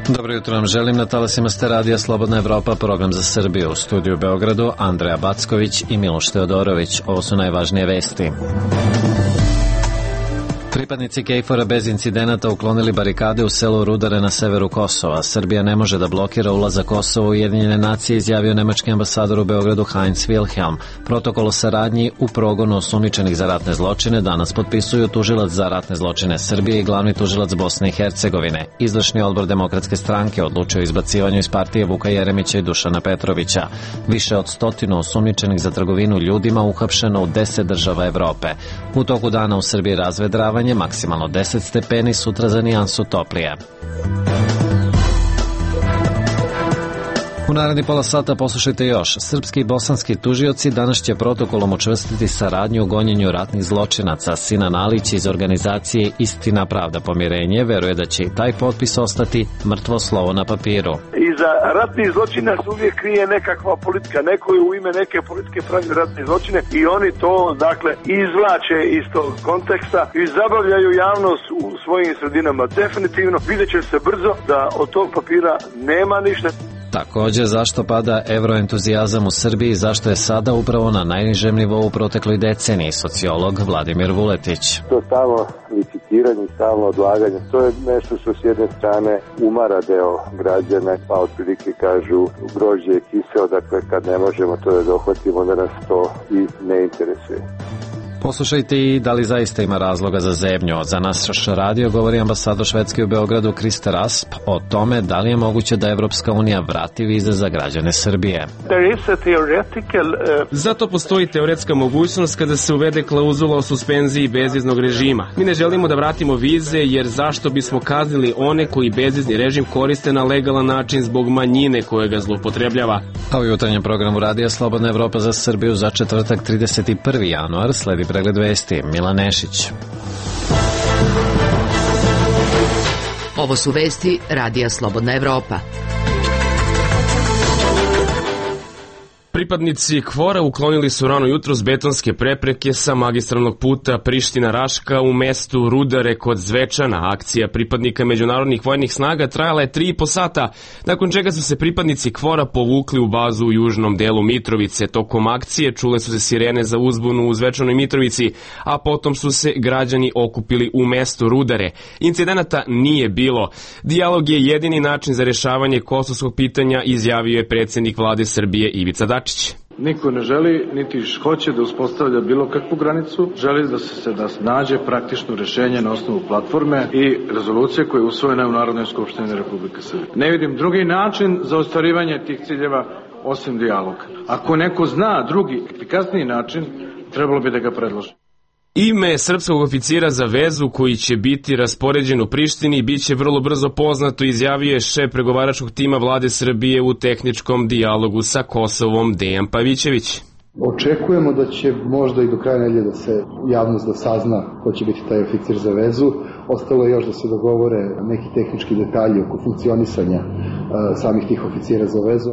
Dobro jutro vam želim, na talasima ste radija Slobodna Evropa, program za Srbiju. U studiju u Beogradu Andreja Backović i Miloš Teodorović. Ovo su najvažnije vesti. Pripadnici KFOR-a bez incidenata uklonili barikade u selu Rudare na severu Kosova. Srbija ne može da blokira ulazak Kosova u Ujedinjene nacije, izjavio nemački ambasador u Beogradu Heinz Wilhelm. Protokol o saradnji u progonu osumnjičenih za ratne zločine danas potpisuju tužilac za ratne zločine Srbije i glavni tužilac Bosne i Hercegovine. Izvršni odbor Demokratske stranke odlučio o izbacivanju iz partije Vuka Jeremića i Dušana Petrovića. Više od 100 osumnjičenih za trgovinu ljudima uhapšeno u 10 država Evrope. U toku dana u Srbiji razvedravanje, maksimalno 10 stepeni, sutra za nijansu toplije. U naredni pola sata poslušajte još. Srpski i bosanski tužioci danas će protokolom učvrstiti saradnju u gonjenju ratnih zločinaca. Sinan Alić iz organizacije Istina, pravda, pomirenje veruje da će i taj potpis ostati mrtvo slovo na papiru. Iza ratnih zločina se uvijek krije nekakva politika. Neko je u ime neke politike pravi ratne zločine i oni to, dakle, izvlače iz tog konteksta i zabavljaju javnost u svojim sredinama. Definitivno vidjet će se brzo da od tog papira nema ništa. Također, zašto pada evroentuzijazam u Srbiji i zašto je sada upravo na najnižem nivou u protekloj deceniji, sociolog Vladimir Vuletić. To stalno licitiranje, stalno odlaganje, to je nešto što s jedne strane umara deo građana, pa otprilike kažu grožđe je kiseo, dakle kad ne možemo to da dohvatimo, onda nas to i ne interesuje. Poslušajte i da li zaista ima razloga za zebnju. Za naš radio govori ambasador Švedske u Beogradu Kriste Rasp o tome da li je moguće da Evropska unija vrati vize za građane Srbije. Zato postoji teoretska mogućnost kada se uvede klauzula o suspenziji bezviznog režima. Mi ne želimo da vratimo vize jer zašto bismo kaznili one koji bezvizni režim koriste na legalan način zbog manjine koje ga zloupotrebljava. A u jutarnjem programu radija Slobodna Evropa za Srbiju za četvrtak 31. januar sledi pregled vesti. Milan Nešić. Ovo su vesti radija Slobodna Evropa. Pripadnici KFOR-a uklonili su rano jutros betonske prepreke sa magistralnog puta Priština-Raška u mestu Rudare kod Zvečana. Akcija pripadnika međunarodnih vojnih snaga trajala je 3,5 sata, nakon čega su se pripadnici KFOR-a povukli u bazu u južnom delu Mitrovice. Tokom akcije čule su se sirene za uzbunu u Zvečanoj Mitrovici, a potom su se građani okupili u mestu Rudare. Incidenata nije bilo. Dijalog je jedini način za rešavanje kosovskog pitanja, izjavio je predsjednik vlade Srbije Ivica Dačić. Niko ne želi, niti hoće da uspostavlja bilo kakvu granicu, želi da se nađe praktično rešenje na osnovu platforme i rezolucije koje je usvojena u Narodnoj skupštini Republike Srbije. Ne vidim drugi način za ostvarivanje tih ciljeva osim dijaloga. Ako neko zna drugi, efikasniji način, trebalo bi da ga predloži. Ime srpskog oficira za vezu koji će biti raspoređen u Prištini biće vrlo brzo poznato, izjavio je šef pregovaračkog tima vlade Srbije u tehničkom dijalogu sa Kosovom Dejan Pavićević. Očekujemo da će možda i do kraja nedelje da se javnost da sazna ko će biti taj oficir za vezu. Ostalo je još da se dogovore neki tehnički detalji oko funkcionisanja samih tih oficira za vezu.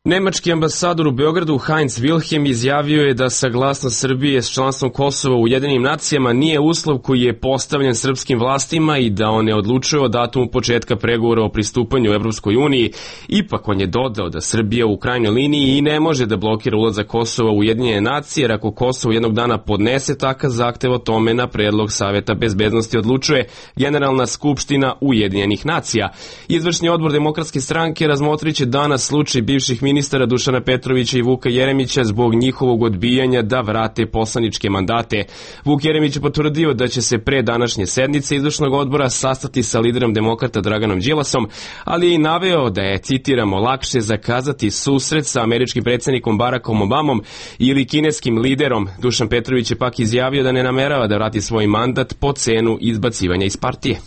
Nemački ambasador u Beogradu Heinz Wilhelm izjavio je da saglasnost Srbije s članstvom Kosova u Ujedinjenim nacijama nije uslov koji je postavljen srpskim vlastima i da on ne odlučuje o datumu početka pregovora o pristupanju Evropskoj uniji. Ipak on je dodao da Srbija u krajnjoj liniji i ne može da blokira ulazak Kosova u Ujedinjene nacije, jer ako Kosovo jednog dana podnese takav zahtev, o tome na predlog Saveta bezbednosti odlučuje Generalna skupština Ujedinjenih nacija. Izvršni odbor Demokratske stranke razmotriće danas slučaj bivših ministara Dušana Petrovića i Vuka Jeremića zbog njihovog odbijanja da vrate poslaničke mandate. Vuk Jeremić je potvrdio da će se pre današnje sednice izvršnog odbora sastati sa liderom demokrata Draganom Đilasom, ali je i naveo da je, citiramo, lakše zakazati susret sa američkim predsjednikom Barackom Obamom ili kineskim liderom. Dušan Petrović je pak izjavio da ne namerava da vrati svoj mandat po cenu izbacivanja iz partije.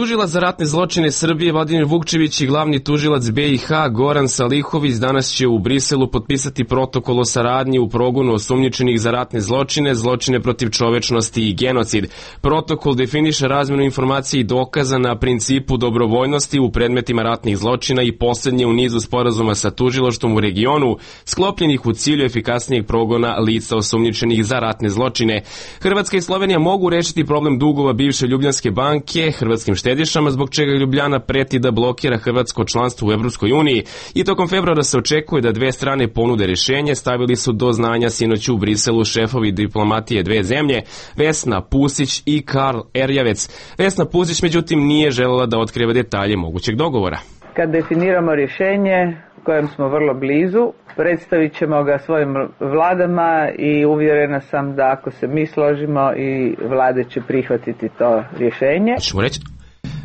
Tužilac za ratne zločine Srbije Vladimir Vukčević i glavni tužilac BiH Goran Salihović danas će u Briselu potpisati protokol o saradnji u progonu osumnjičenih za ratne zločine, zločine protiv čovečnosti i genocid. Protokol definiše razmenu informacija i dokaza na principu dobrovoljnosti u predmetima ratnih zločina i poslednje u nizu sporazuma sa tužilaštvom u regionu, sklopljenih u cilju efikasnijeg progona lica osumnjičenih za ratne zločine. Hrvatska i Slovenija mogu rešiti problem dugova bivše Ljubljanske banke hrvatskim štedišama, zbog čega Ljubljana preti da blokira hrvatsko članstvo u Evropskoj uniji, i tokom februara se očekuje da dve strane ponude rešenje, stavili su do znanja sinoć u Briselu šefovi diplomatije dve zemlje, Vesna Pusić i Karl Erjavec. Vesna Pusić međutim nije želela da otkriva detalje mogućeg dogovora. Kad definiramo rješenje kojem smo vrlo blizu, predstavit ćemo ga svojim vladama i uvjerena sam da ako se mi složimo i vlade će prihvatiti to rješenje.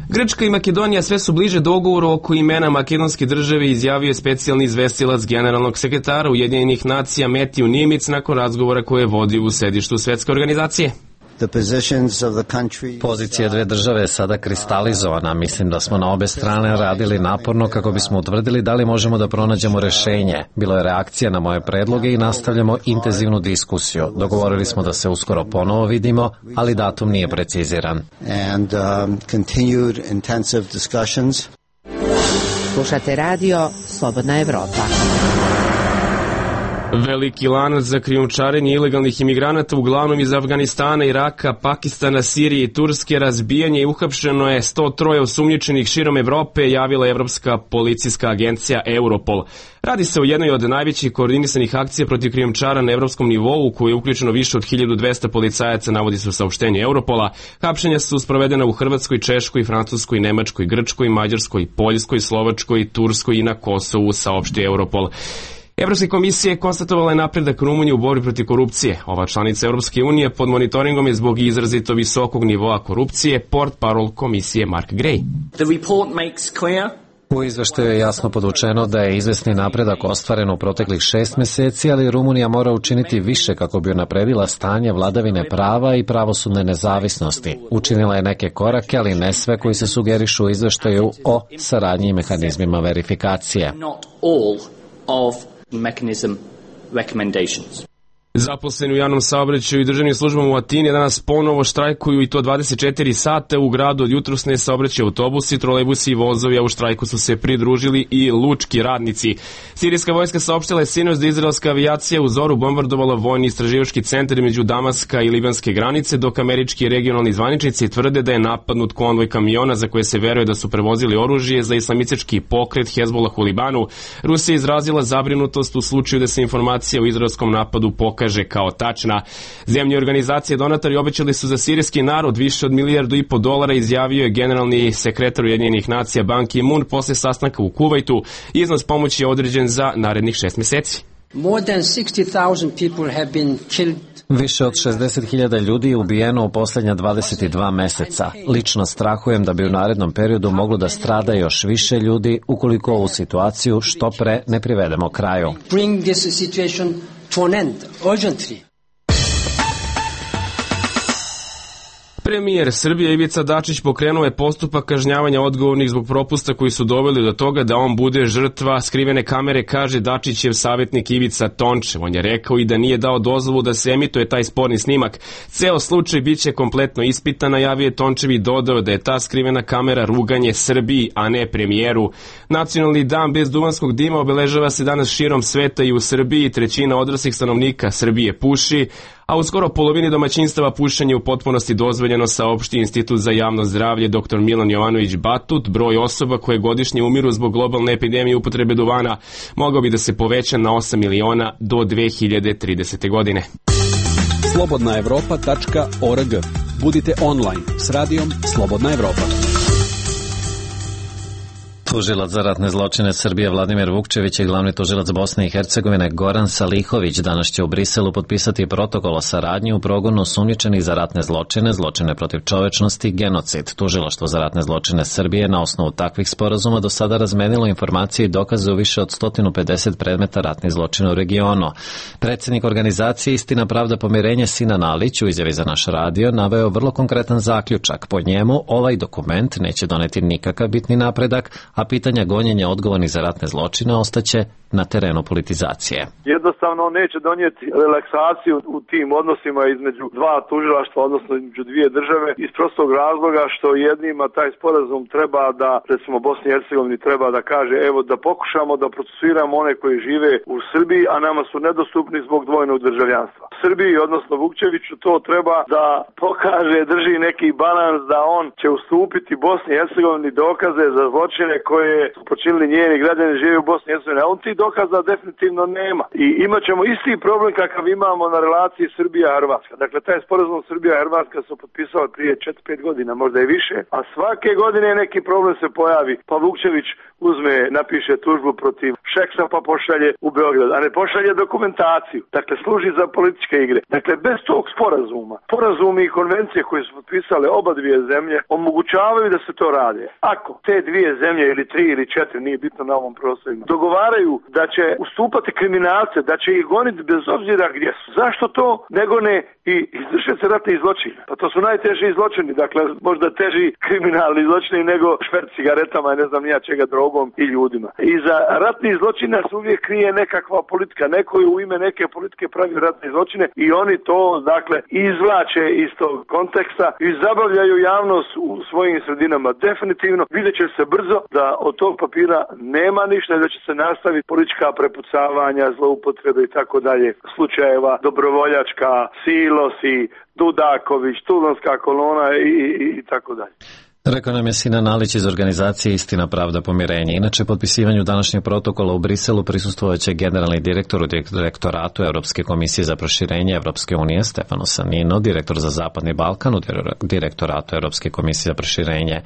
Grčka i Makedonija sve su bliže dogovoru oko imena makedonske države, izjavio je specijalni izvestilac generalnog sekretara Ujedinjenih nacija Matthew Nimitz nakon razgovora koje je vodio u sedištu Svetske organizacije. Pozicija dve države je sada kristalizovana. Mislim da smo na obe strane radili naporno kako bismo utvrdili da li možemo da pronađemo rešenje. Bilo je reakcija na moje predloge i nastavljamo intenzivnu diskusiju. Dogovorili smo da se uskoro ponovo vidimo, ali datum nije preciziran. Slušate radio Slobodna Evropa. Veliki lanac za krijumčarenje ilegalnih imigranata, uglavnom iz Afganistana, Iraka, Pakistana, Sirije i Turske, razbijanje i uhapšeno je 103 osumnjičenih širom Evrope, javila Evropska policijska agencija Europol. Radi se o jednoj od najvećih koordinisanih akcija protiv krijumčara na evropskom nivou, u kojoj je uključeno više od 1200 policajaca, navodi se u saopštenju Europola. Hapšenja su sprovedena u Hrvatskoj, Češkoj, Francuskoj, Nemačkoj, Grčkoj, Mađarskoj, Poljskoj, Slovačkoj, Turskoj i na Kosovu, saopštio Europol. Evropska komisija konstatovala je napredak Rumunije u borbi protiv korupcije. Ova članica Evropske unije pod monitoringom je zbog izrazito visokog nivoa korupcije, portparol komisije Mark Gray. U izveštaju je jasno podučeno da je izvesni napredak ostvaren u proteklih 6 meseci, ali Rumunija mora učiniti više kako bi unapredila stanje vladavine prava i pravosudne nezavisnosti. Učinila je neke korake, ali ne sve koji se sugerišu u izveštaju o saradnji i mehanizmima verifikacije. Zaposleni u javnom saobraćaju i državnim službama u Atini danas ponovo štrajkuju, i to 24 sata u gradu. Od jutros ne saobraćaju autobusi, trolejbusi i vozovi, a u štrajku su se pridružili i lučki radnici. Sirijska vojska saopštila je sinoć da izraelska avijacija u zoru bombardovala vojni istraživački centar između Damaska i libanske granice, dok američki regionalni zvaničnici tvrde da je napadnut konvoj kamiona za koje se veruje da su prevozili oružje za islamistički pokret Hezbollah u Libanu. Rusija je izrazila zabrinutost u slučaju da se informacija o izraelskom napadu pokaže kao tačna. Zemlje organizacije donatori obećali su za sirijski narod više od $1,5 milijarda, izjavio je generalni sekretar Ujedinjenih nacija Ban Ki-moon posle sastanka u Kuvajtu. Iznos pomoći je određen za narednih 6 meseci. Više od 60.000 ljudi je ubijeno u posljednja 22 meseca. Lično strahujem da bi u narednom periodu moglo da strada još više ljudi ukoliko ovu situaciju što pre ne privedemo kraju. Premijer Srbije Ivica Dačić pokrenuo je postupak kažnjavanja odgovornih zbog propusta koji su doveli do toga da on bude žrtva skrivene kamere, kaže Dačićev savjetnik Ivica Tončev. On je rekao i da nije dao dozvolu da se emituje taj sporni snimak. Ceo slučaj biće kompletno ispitan, najavio je Tončev i dodao da je ta skrivena kamera ruganje Srbiji, a ne premijeru. Nacionalni dan bez duvanskog dima obeležava se danas širom sveta i u Srbiji. 1/3 odraslih stanovnika Srbije puši, a u skoro polovini domaćinstava pušenje u potpunosti dozvoljeno, saopšti Institut za javno zdravlje dr. Milan Jovanović Batut. Broj osoba koje godišnje umiru zbog globalne epidemije upotrebe duvana mogao bi da se poveća na 8 miliona do 2030. godine. slobodnaevropa.org. Budite online s radijom Slobodna Evropa. Tužilac za ratne zločine Srbije Vladimir Vukčević i glavni tužilac Bosne i Hercegovine Goran Salihović danas će u Briselu potpisati protokol o saradnji u progonu osumnjičenih za ratne zločine, zločine protiv čovečnosti, genocid. Tužilaštvo za ratne zločine Srbije na osnovu takvih sporazuma do sada razmenilo informacije i dokaze u više od 150 predmeta ratnih zločina u regionu. Predsjednik organizacije Istina, pravda, pomirenje Sinan Alić u izjavi za naš radio naveo vrlo konkretan zaključak. Po njemu ovaj dokument neće doneti nikakav bitni napredak, a pitanja gonjenja odgovornih za ratne zločine ostaće na terenu politizacije. Jednostavno on neće donijeti relaksaciju u tim odnosima između dva tužilaštva, odnosno između dvije države, iz prostog razloga što jednima taj sporazum treba da, recimo Bosni i Hercegovini treba da kaže, evo da pokušamo da procesuiramo one koji žive u Srbiji, a nama su nedostupni zbog dvojnog državljanstva. Srbiji, odnosno Vukčeviću, to treba da pokaže, drži neki balans da on će ustupiti Bosni i Hercegovini dokaze za zločine koje su počinili njeni građani žive u Bosni i Hercegovini, a on ti dokaza definitivno nema. I imat ćemo isti problem kakav imamo na relaciji Srbija-Hrvatska. Dakle, taj sporazum Srbija-Hrvatska su potpisali prije 4-5 godina, možda i više, a svake godine neki problem se pojavi, pa Vukčević napiše tužbu protiv Šeksa pa pošalje u Beograd, a ne pošalje dokumentaciju. Dakle, služi za političke igre. Dakle, bez tog sporazuma, sporazumi i konvencije koje su potpisale oba dvije zemlje omogućavaju da se to rade. Ako te dvije zemlje ili 3 ili 4, nije bitno na ovom prostorima, dogovaraju da će ustupati kriminalce, da će ih goniti bez obzira gdje su. Zašto to nego ne i izvršiti ratni zločini? Pa to su najteži zločini, dakle možda teži kriminalni zločini nego šverc cigaretama i ne znam nija čega, drogom i ljudima. I za ratni zločina se uvijek krije nekakva politika, neko je u ime neke politike pravi ratne zločine i oni to dakle izvlače iz tog konteksta i zabavljaju javnost u svojim sredinama. Definitivno vidjet će se brzo da od tog papira nema ništa i da će se nastaviti politička prepucavanja, zloupotrebe i tako dalje slučajeva, dobrovoljačka, Silosi, Dudaković, Tuzlanska kolona i tako dalje. Rekao nam je Sinan Alić iz organizacije Istina, pravda, pomirenje. Inače, potpisivanju današnjeg protokola u Briselu prisustvovat će generalni direktor u direktoratu Europske komisije za proširenje Evropske unije Stefano Sanino, direktor za Zapadni Balkan u direktoratu Europske komisije za proširenje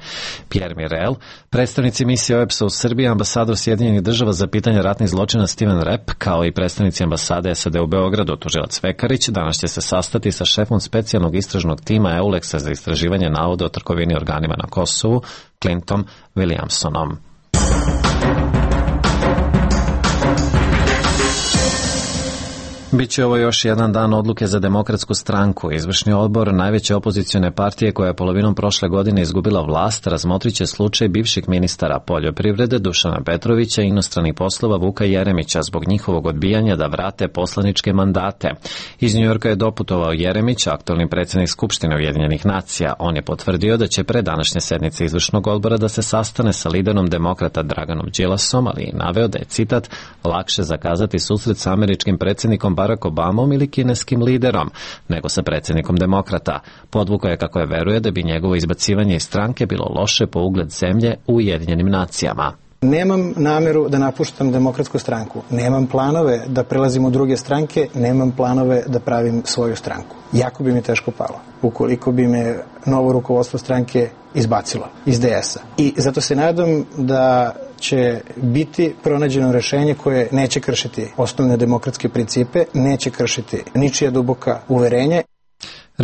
Pierre Mirel, predstavnici misije OEBS-a u Srbiji, ambasador Sjedinjenih država za pitanje ratnih zločina Steven Rapp, kao i predstavnici ambasade SAD u Beogradu, tužilac Vekarić, danas će se sastati sa šefom specijalnog istražnog tima EULEX-a za istraživanje navoda o trgovini organima na Kosovu, Clintom Williamsonom. Biće ovo još jedan dan odluke za Demokratsku stranku. Izvršni odbor najveće opozicione partije koja je polovinom prošle godine izgubila vlast razmotrit će slučaj bivših ministara poljoprivrede Dušana Petrovića i inostranih poslova Vuka Jeremića zbog njihovog odbijanja da vrate poslaničke mandate. Iz Njujorka je doputovao Jeremić, aktualni predsjednik Skupštine Ujedinjenih nacija. On je potvrdio da će pre današnje sednice izvršnog odbora da se sastane sa liderom demokrata Draganom Đilasom, ali i naveo da je, citat, lakše zakazati susret sa američkim predsjednikom Barack Obamom ili kineskim liderom, nego sa predsjednikom demokrata. Podvukao je kako je veruje da bi njegovo izbacivanje iz stranke bilo loše po ugled zemlje u Ujedinjenim nacijama. Nemam nameru da napuštam Demokratsku stranku. Nemam planove da prelazim u druge stranke, nemam planove da pravim svoju stranku. Jako bi mi teško palo ukoliko bi me novo rukovodstvo stranke izbacilo iz DS-a. I zato se nadam da će biti pronađeno rešenje koje neće kršiti osnovne demokratske principe, neće kršiti ničija duboka uverenja.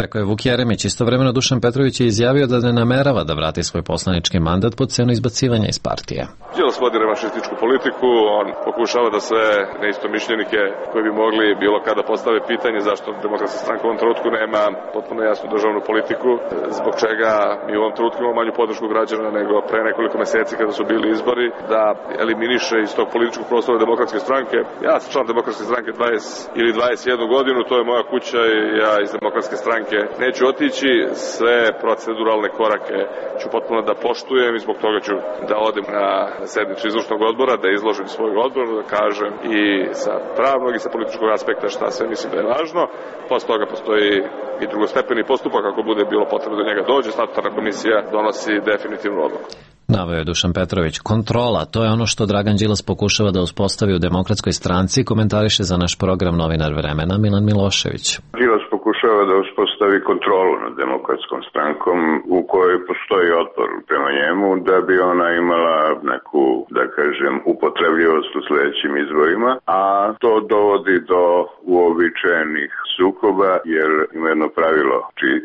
Rekao je Vuk Jeremić. Istovremeno Dušan Petrović je izjavio da ne namerava da vrati svoj poslanički mandat pod cenu izbacivanja iz partije. Đilas vodi revanšističku politiku, on pokušava da sve neistomišljenike koji bi mogli bilo kada postave pitanje zašto Demokratska stranka u ovom trenutku nema potpuno jasnu državnu politiku, zbog čega mi u ovom trenutku imamo manju podršku građana nego pre nekoliko meseci kada su bili izbori, da eliminiše iz tog političkog prostora Demokratske stranke. Ja sam član Demokratske stranke 20 ili 21 godinu, to je moja kuća i ja iz Demokratske stranke neću otići, sve proceduralne korake ću potpuno da poštujem i zbog toga ću da odem na sednicu izvršnog odbora, da izložim svoj odbor, da kažem i sa pravnog i sa političkog aspekta šta sve mislim da je važno. Posle toga postoji i drugostepeni postupak, ako bude bilo potrebno da njega dođe, statutarna komisija donosi definitivnu odluku. Naveo je Dušan Petrović. Kontrola, to je ono što Dragan Đilas pokušava da uspostavi u Demokratskoj stranci, komentariše za naš program novinar Vremena Milan Milošević. Đilas pokušava da uspostavi kontrolu nad Demokratskom strankom u kojoj postoji otpor prema njemu da bi ona imala neku, da kažem, upotrebljivost u sledećim izborima, a to dovodi do uobičajenih sukoba, jer ima jedno pravilo čiji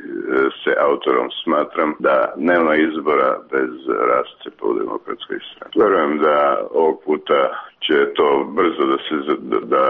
se autorom smatram da nema izbora bez rascepa u Demokratskoj stranci. Verujem da ovog puta će to brzo da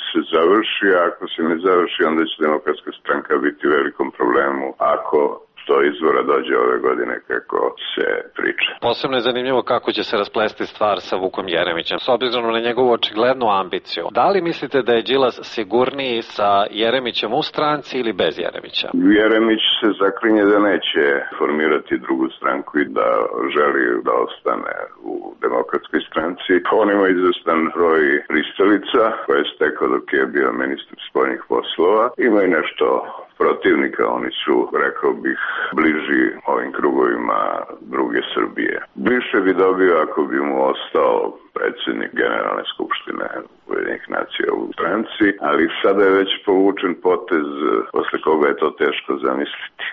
se završi, a ako se ne završi, onda će Demokratska stranka biti u velikom problemu ako do izbora dođe ove godine kako se priča. Posebno je zanimljivo kako će se rasplesti stvar sa Vukom Jeremićem, s obzirom na njegovu očiglednu ambiciju. Da li mislite da je Đilas sigurniji sa Jeremićem u stranci ili bez Jeremića? Jeremić se zaklinje da neće formirati drugu stranku i da želi da ostane u Demokratskoj stranci. On ima izvestan broj pristalica koje je stekao dok je bio ministar spoljnih poslova. Ima i nešto protivnika, oni su, rekao bih, bliži ovim krugovima druge Srbije. Više bi dobio ako bi mu ostao predsjednik Generalne skupštine Ujedinjenih nacija u stranci, ali sada je već povučen potez posle koga je to teško zamisliti.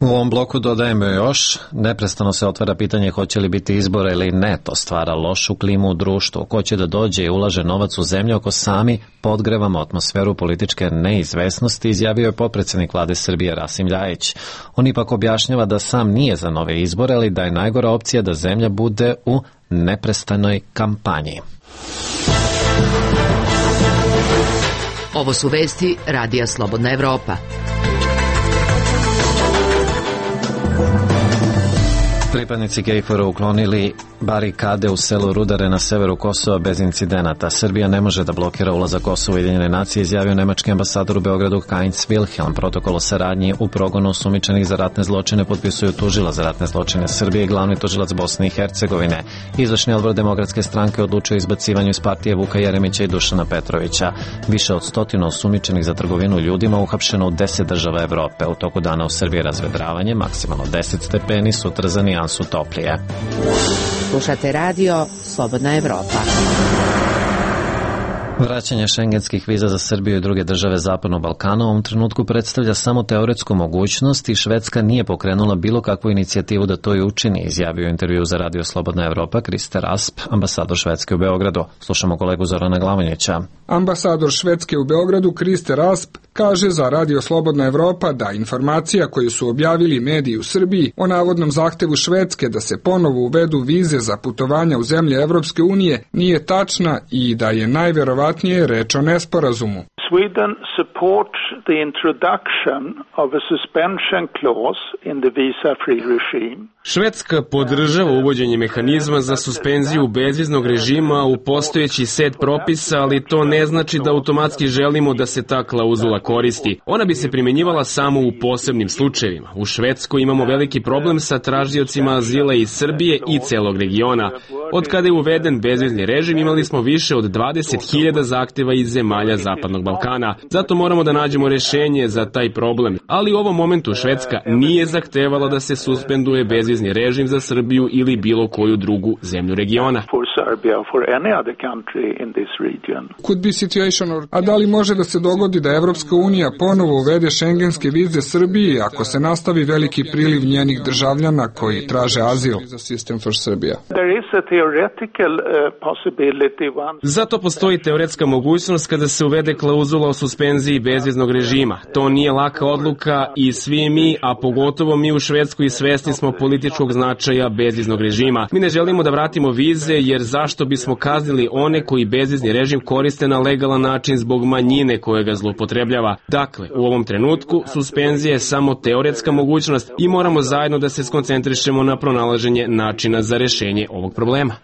U ovom bloku dodajemo još, neprestano se otvara pitanje hoće li biti izbora ili ne, to stvara lošu klimu u društvu, ko će da dođe i ulaže novac u zemlju ako sami podgrevamo atmosferu političke neizvesnosti, izjavio je potpredsednik vlade Srbije Rasim Ljajić. On ipak objašnjava da sam nije za nove izbore, ali da je najgora opcija da zemlja bude u neprestanoj kampanji. Ovo su vesti Radija Slobodna Evropa. Pripadnici KFOR-a uklonili barikade u selu Rudare na severu Kosova bez incidenata. Srbija ne može da blokira ulazak Kosova u Ujedinjene nacije, izjavio nemački ambasador u Beogradu Heinz Wilhelm. Protokol o saradnji u progonu osumnjičenih za ratne zločine potpisuju tužilac za ratne zločine Srbije i glavni tužilac Bosne i Hercegovine. Izvršni odbor Demokratske stranke odlučio izbacivanju iz partije Vuka Jeremića i Dušana Petrovića. Više od 100 osumnjičenih za trgovinu ljudima uhapšeno u 10 država Evrope. U toku dana u Srbiji razvedravanje, maksimalno 10 stepeni, sutra za nijansu toplije. Slušate radio Slobodna Evropa. Vraćanje šengenskih viza za Srbiju i druge države Zapadnog Balkana u ovom trenutku predstavlja samo teoretsku mogućnost i Švedska nije pokrenula bilo kakvu inicijativu da to i učini, izjavio u intervju za radio Slobodna Evropa Krister Asp, ambasador Švedske u Beogradu. Slušamo kolegu Zorana Glavonjića. Ambasador Švedske u Beogradu Krister Asp kaže za radio Slobodna Evropa da informacija koju su objavili mediji u Srbiji o navodnom zahtevu Švedske da se ponovo uvedu vize za putovanja u zemlje Evropske unije nije tačna i da je najverovatnije reč o nesporazumu. Sweden supports the introduction of a suspension clause in the visa-free regime. Švedska podržava uvođenje mehanizma za suspenziju bezviznog režima u postojeći set propisa, ali to ne znači da automatski želimo da se ta klauzula koristi. Ona bi se primjenjivala samo u posebnim slučajevima. U Švedskoj imamo veliki problem sa tražiocima azila iz Srbije i celog regiona. Od kada je uveden bezvizni režim imali smo više od 20.000 zahteva iz zemalja Zapadnog Balkana. Zato moramo da nađemo rešenje za taj problem. Ali u ovom momentu Švedska nije zahtevala da se suspenduje bezvizni režim za Srbiju ili bilo koju drugu zemlju regiona. A da li može da se dogodi da Evropska unija ponovo uvede šengenske vize Srbiji ako se nastavi veliki priliv njenih državljana koji traže azil? Zato postoji teoretska mogućnost kada se uvede klauzula o suspenziji bezviznog režima. To nije laka odluka i svi mi, a pogotovo mi u Švedskoj, svesni smo političkog značaja bezviznog režima. Mi ne želimo da vratimo vize jer zašto bismo kaznili one koji bezvizni režim koriste na legalan način zbog manjine koje ga zloupotrebljava. Dakle, u ovom trenutku suspenzija je samo teoretska mogućnost i moramo zajedno da se skoncentrišemo na pronalaženje načina za rešenje ovog problema.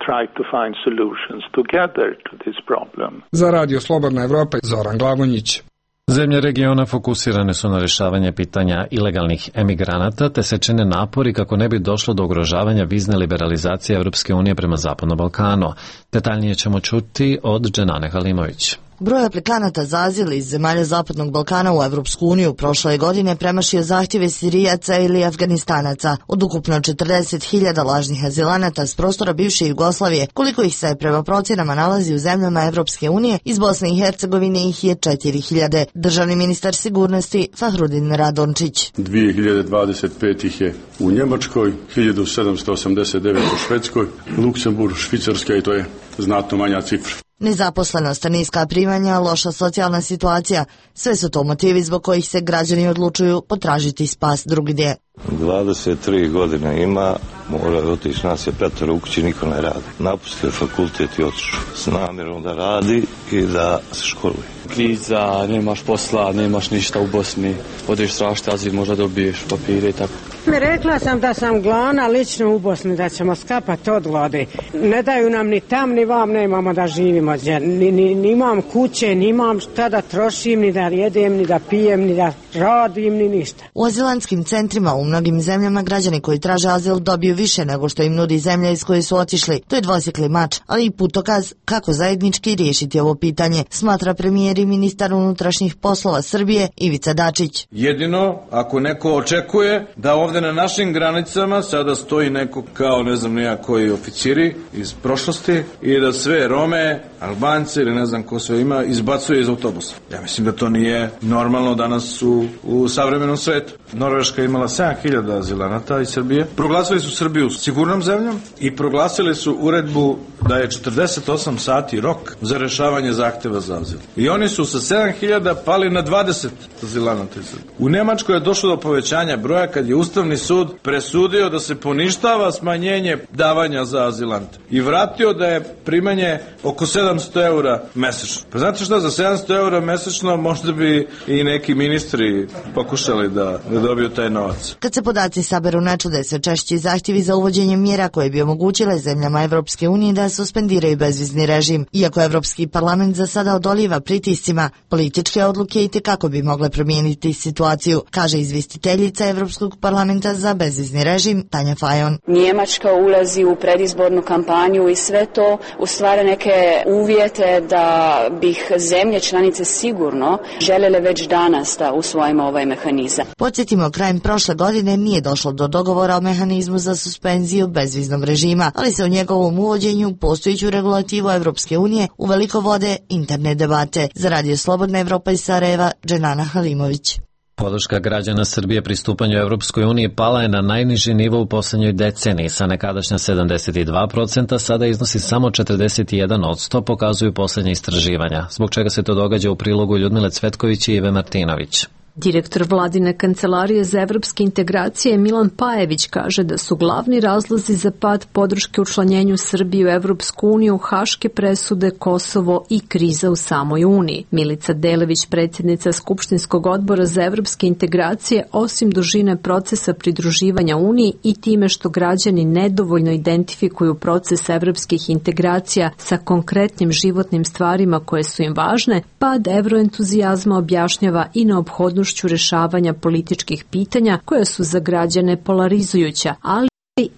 Za radio Slobodna Evropa, Zoran Glavonjić. Zemlje regiona fokusirane su na rješavanje pitanja ilegalnih emigranata, te se čine napori kako ne bi došlo do ugrožavanja vizne liberalizacije Evropske unije prema Zapadnom Balkanu. Detaljnije ćemo čuti od Dženane Halimović. Broj aplikanata za azil iz zemalja Zapadnog Balkana u Evropsku uniju prošle godine premašio zahtjeve Sirijaca ili Afganistanaca. Od ukupno 40.000 lažnih azilanata s prostora bivše Jugoslavije, koliko ih se prema procjenama nalazi u zemljama Evropske unije, iz Bosne i Hercegovine ih je 4.000. Državni ministar sigurnosti Fahrudin Radončić. 2025 ih je u Njemačkoj, 1789 u Švedskoj, Luksemburg, Švicarska i to je znatno manja cifra. Nezaposlenost, niska primanja, loša socijalna situacija, sve su to motivi zbog kojih se građani odlučuju potražiti spas drugdje. 23 godine ima, mora otići, nas je 5 u kući, niko ne radi. Napustio fakultet i otišao s namjerom da radi i da se školuje. Kriza, nemaš posla, nemaš ništa u Bosni, odeš tražiti azil, možda dobiješ papire i tako. Rekla sam da sam glavna lično u Bosni, da ćemo skapati od gladi. Ne daju nam ni tam, ni vam, nemamo da živimo. Ni imam kuće, ni imam šta da trošim, ni da jedem, ni da pijem, ni da radim, ni ništa. U azilantskim centrima u mnogim zemljama građani koji traže azil dobiju više nego što im nudi zemlja iz koje su otišli. To je dvosjekli mač, ali i putokaz kako zajednički riješiti ovo pitanje, smatra premijer i ministar unutrašnjih poslova Srbije Ivica Dačić. Jedino ako neko očekuje da ovdje na našim granicama sada stoji neko kao ne znam nija koji oficiri iz prošlosti i da sve Rome, Albance ili ne znam ko sve ima izbacuje iz autobusa. Ja mislim da to nije normalno danas u savremenom svetu. Norveška je imala 7.000 azilanata iz Srbije. Proglasili su Srbiju sigurnom zemljom i proglasili su uredbu da je 48 sati rok za rešavanje zahteva za azil. I oni su sa 7.000 pali na 20 azilanata iz Srbije. U Nemačkoj je došlo do povećanja broja kad je Ustavni sud presudio da se poništava smanjenje davanja za azilante i vratio da je primanje oko 700 eura mesečno. Pa znate šta, za 700 eura mesečno možda bi i neki ministri pokušali da dobiju taj novac. Kad se podaci saberu načude sve češći zahtjevi za uvođenje mjera koje bi omogućile zemljama Evropske unije da suspendiraju bezvizni režim. Iako Evropski parlament za sada odoliva pritiscima, političke odluke itekako bi mogle promijeniti situaciju, kaže izvjestiteljica Evropskog parlamenta za bezvizni režim Tanja Fajon. Njemačka ulazi u predizbornu kampanju i sve to ustvara neke uvjete da bih zemlje članice sigurno želele već danas da usvojimo ovaj mehanizam. Podsjetimo, krajem prošle godine nije došlo do dogovora o mehanizmu za suspenziju bezviznog režima, ali se o njegovom uvođenju postojeću regulativu Evropske unije uveliko vode interne debate. Za Radio Slobodna Evropa iz Sarajeva, Dženana Halimović. Podrška građana Srbije pristupanju Evropskoj uniji pala je na najniži nivo u posljednjoj deceniji, sa nekadašnja 72%, sada iznosi samo 41%, pokazuju posljednje istraživanja. Zbog čega se to događa u prilogu Ljudmile Cvetković i Ive Martinović. Direktor vladine kancelarije za evropske integracije Milan Pajević kaže da su glavni razlozi za pad podrške učlanjenju Srbije u Evropsku uniju haške presude, Kosovo i kriza u samoj Uniji. Milica Delević, predsjednica Skupštinskog odbora za evropske integracije, osim dužine procesa pridruživanja Uniji i time što građani nedovoljno identifikuju proces evropskih integracija sa konkretnim životnim stvarima koje su im važne, pad evroentuzijazma objašnjava i neophodnost rešavanja političkih pitanja koja su za građane polarizujuća, ali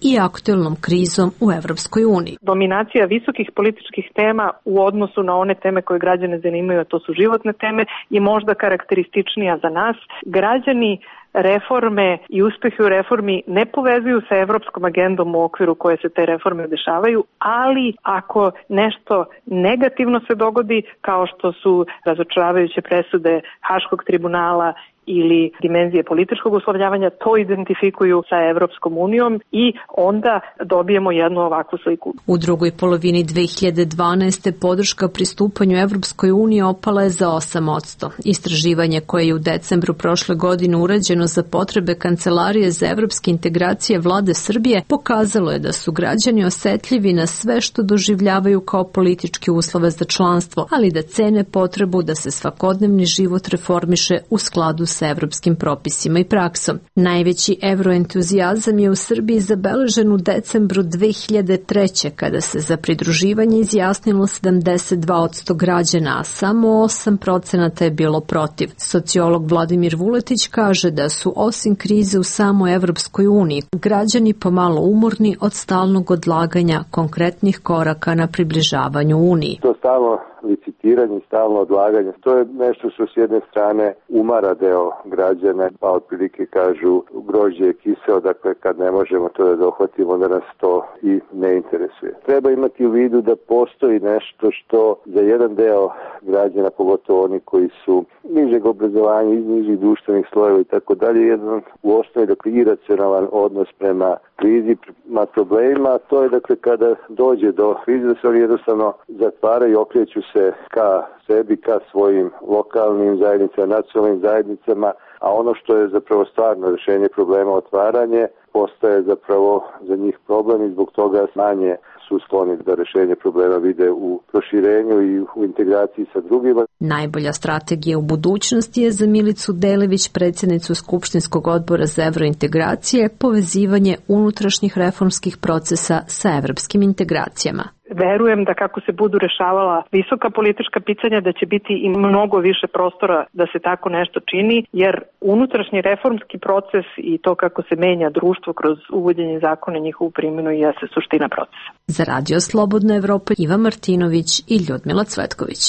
i aktuelnom krizom u Evropskoj uniji. Dominacija visokih političkih tema u odnosu na one teme koje građane zanimaju, a to su životne teme, je možda karakterističnija za nas. Građani reforme i uspehe u reformi ne povezuju sa evropskom agendom u okviru koje se te reforme dešavaju, ali ako nešto negativno se dogodi, kao što su razočaravajuće presude Haškog tribunala ili dimenzije političkog uslovljavanja, to identifikuju sa Evropskom unijom i onda dobijemo jednu ovakvu sliku. U drugoj polovini 2012. podrška pristupanju Evropskoj uniji opala je za 8%. Istraživanje koje je u decembru prošle godine urađeno za potrebe Kancelarije za evropske integracije Vlade Srbije pokazalo je da su građani osetljivi na sve što doživljavaju kao političke uslove za članstvo, ali da cene potrebu da se svakodnevni život reformiše u skladu sa evropskim propisima i praksom. Najveći evroentuzijazam je u Srbiji zabeležen u decembru 2003. kada se za pridruživanje izjasnilo 72% građana, a samo 8% je bilo protiv. Sociolog Vladimir Vuletić kaže da su osim krize u samoj Evropskoj uniji građani pomalo umorni od stalnog odlaganja konkretnih koraka na približavanju Uniji. To stalno licitiranje i stalno odlaganje. To je nešto što s jedne strane umara deo građana, pa otprilike kažu grožđe je kiseo, dakle kad ne možemo to da dohvatimo, onda nas to i ne interesuje. Treba imati u vidu da postoji nešto što za jedan deo građana, pogotovo oni koji su nižeg obrazovanja, iz nižih društvenih slojeva i tako dalje, jedan u osnovi dakle iracionalan odnos prema krizi, prema problemima, to je dakle kada dođe do krize da se oni jednostavno zatvaraju i okreću se ka sebi, ka svojim lokalnim zajednicama, nacionalnim zajednicama, a ono što je zapravo stvarno rešenje problema, otvaranje, postaje zapravo za njih problem i zbog toga manje su skloni da rešenje problema vide u proširenju i u integraciji sa drugima. Najbolja strategija u budućnosti je za Milicu Delević, predsjednicu Skupštinskog odbora za evrointegracije, povezivanje unutrašnjih reformskih procesa sa evropskim integracijama. Verujem da kako se budu rešavala visoka politička pitanja, da će biti i mnogo više prostora da se tako nešto čini, jer unutrašnji reformski proces i to kako se menja društvo kroz uvođenje zakona, njihovu primjenu jeste suština procesa. Za Radio Slobodna Evropa, Iva Martinović i Ljudmila Cvetković.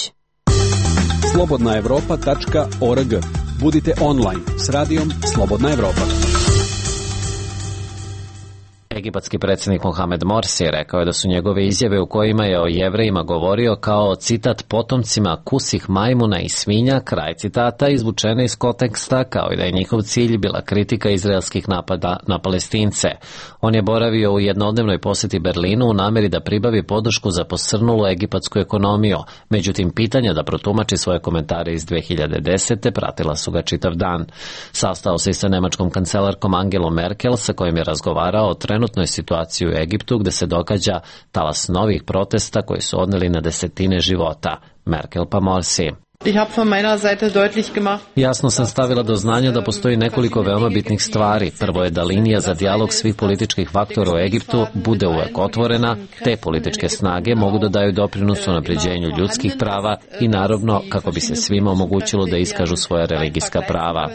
slobodnaevropa.org. Budite online s radijom Slobodna Evropa. Egipatski predsjednik Mohamed Morsi rekao je da su njegove izjave u kojima je o Jevrejima govorio kao, citat, potomcima kusih majmuna i svinja, kraj citata, izvučene iz konteksta, kao i da je njihov cilj bila kritika izraelskih napada na Palestince. On je boravio u jednodnevnoj posjeti Berlinu u nameri da pribavi podršku za posrnulu egipatsku ekonomiju. Međutim, pitanja da protumači svoje komentare iz 2010. pratila su ga čitav dan. Sastao se i sa nemačkom kancelarkom Angelom Merkel, sa kojim je razgovarao o trenutnoj situaciji u Egiptu, gde se događa talas novih protesta koji su odneli na desetine života. Merkel pa Morsi. Jasno sam stavila do znanja da postoji nekoliko veoma bitnih stvari. Prvo je da linija za dijalog svih političkih faktora u Egiptu bude uvek otvorena, te političke snage mogu da daju doprinos unapređenju ljudskih prava i naravno kako bi se svima omogućilo da iskažu svoja religijska prava.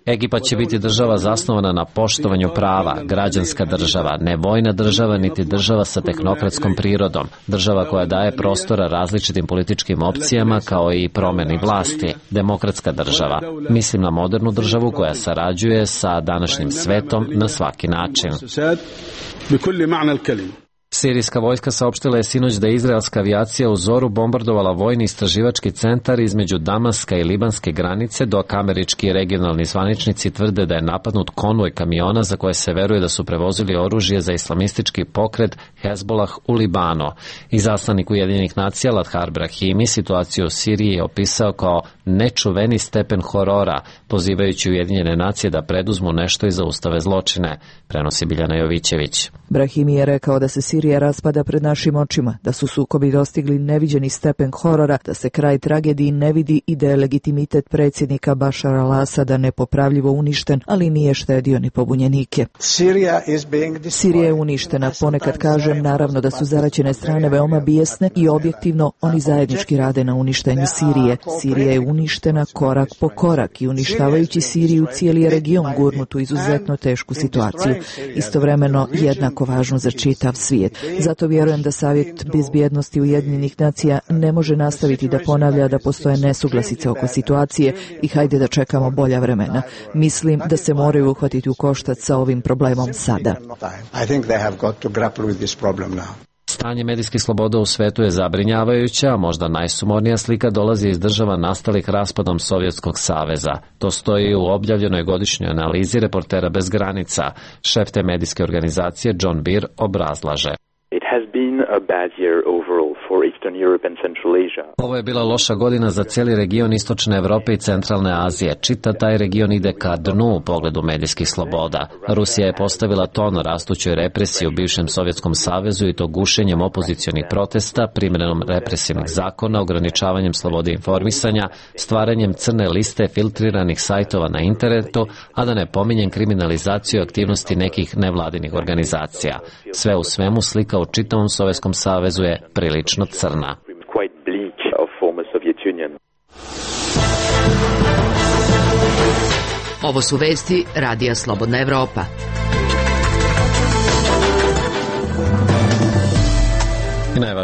Egipat će biti država zasnovana na poštovanju prava, građanska država, ne vojna država niti država sa tehnokratskom prirodom, država koja daje prostora različitim političkim opcijama kao i promeni vlasti, demokratska država. Mislim na modernu državu koja sarađuje sa današnjim svetom na svaki način. Sirijska vojska saopštila je sinoć da je izraelska avijacija u zoru bombardovala vojni istraživački centar između Damaska i libanske granice, dok američki regionalni zvaničnici tvrde da je napadnut konvoj kamiona za koje se veruje da su prevozili oružje za islamistički pokret Hezbollah u Libanu. Izaslanik Ujedinjenih nacija Ladhar Brahimi situaciju u Siriji je opisao kao nečuveni stepen horora, pozivajući Ujedinjene nacije da preduzmu nešto i zaustave zločine, prenosi Biljana Jovićević. Brahimi je rekao da se Sirija raspada pred našim očima, da su sukobi dostigli neviđeni stepen horora, da se kraj tragediji ne vidi i da je legitimitet predsjednika Bašara al-Asada nepopravljivo uništen, ali nije štedio ni pobunjenike. Sirija je uništena, ponekad kažem, naravno da su zaraćene strane veoma bijesne i objektivno oni zajednički rade na uništenju Sirije. Sirija je uništena korak po korak i uništavajući Siriju cijeli je region gurnut u izuzetno tešku situaciju, istovremeno jednako važno za čitav svijet. Zato vjerujem da Savjet bezbjednosti Ujedinjenih nacija ne može nastaviti da ponavlja da postoje nesuglasice oko situacije i hajde da čekamo bolja vremena. Mislim da se moraju uhvatiti u koštac sa ovim problemom sada. Stanje medijskih sloboda u svetu je zabrinjavajuće, a možda najsumornija slika dolazi iz država nastalih raspadom Sovjetskog saveza. To stoji u objavljenoj godišnjoj analizi Reportera bez granica. Šef te medijske organizacije John Beer obrazlaže. Ovo je bila loša godina za cijeli region Istočne Evrope i Centralne Azije. Čitav taj region ide ka dnu u pogledu medijskih sloboda. Rusija je postavila ton rastućoj represiji u bivšem Sovjetskom savezu i to gušenjem opozicionih protesta, primjenom represivnih zakona, ograničavanjem slobode informisanja, stvaranjem crne liste filtriranih sajtova na internetu, a da ne pominjem kriminalizaciju aktivnosti nekih nevladinih organizacija. Sve u svemu slika u čitavom Sovjetskom savezu je prilično crna. Ovo su vesti Radija Slobodna Evropa.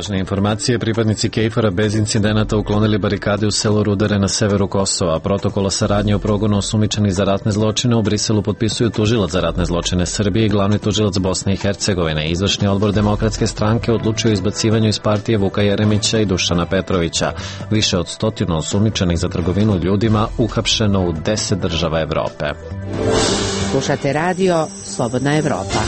Važne informacije, pripadnici KFOR-a bez incidenata uklonili barikade u selu Rudare na severu Kosova. Protokol o saradnji o progonu osumnjičenih za ratne zločine u Briselu potpisuju tužilac za ratne zločine Srbije i glavni tužilac Bosne i Hercegovine. Izvršni odbor Demokratske stranke odlučio o izbacivanju iz partije Vuka Jeremića i Dušana Petrovića. Više od 100 osumnjičenih za trgovinu ljudima uhapšeno u 10 država Evrope. Slušate radio Slobodna Evropa.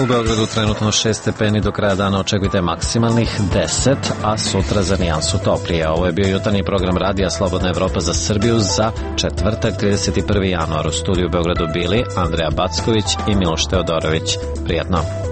U Beogradu trenutno 6 stepeni, do kraja dana očekujte maksimalnih 10, a sutra za nijansu toplije. Ovo je bio jutarnji program radija Slobodna Evropa za Srbiju za četvrtak 31. januar. U studiju u Beogradu bili Andreja Backović i Miloš Teodorović. Prijatno.